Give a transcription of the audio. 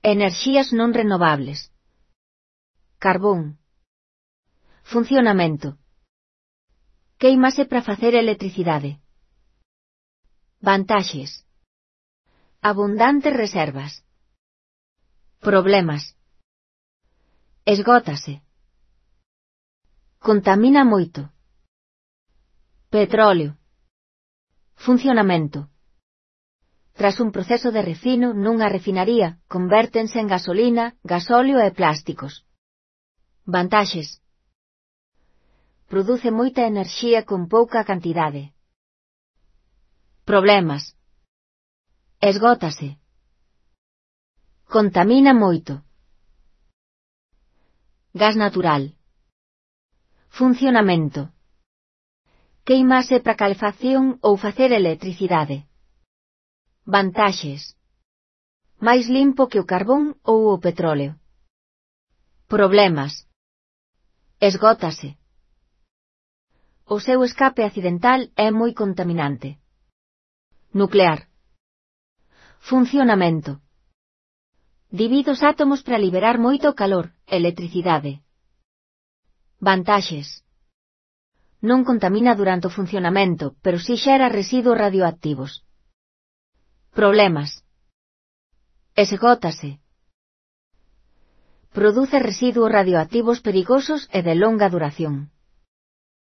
Enerxías non renovables. Carbón. Funcionamento. Quéimase para facer electricidade. Vantaxes. Abundantes reservas. Problemas. Esgótase. Contamina moito. Petróleo. Funcionamento. Tras un proceso de refino nunha refinaría, convértense en gasolina, gasóleo e plásticos. Vantaxes. Produce moita enerxía con pouca cantidade. Problemas. Esgótase. Contamina moito. Gas natural. Funcionamento. Quéimase para calefacción ou facer electricidade. Vantaxes. Máis limpo que o carbón ou o petróleo. Problemas. Esgótase. O seu escape accidental é moi contaminante. Nuclear. Funcionamento. Divide os átomos para liberar moito calor, electricidade. Vantaxes. Non contamina durante o funcionamento, pero si xera residuos radioactivos. Problemas. Esgótase. Produce residuos radioactivos perigosos e de longa duración.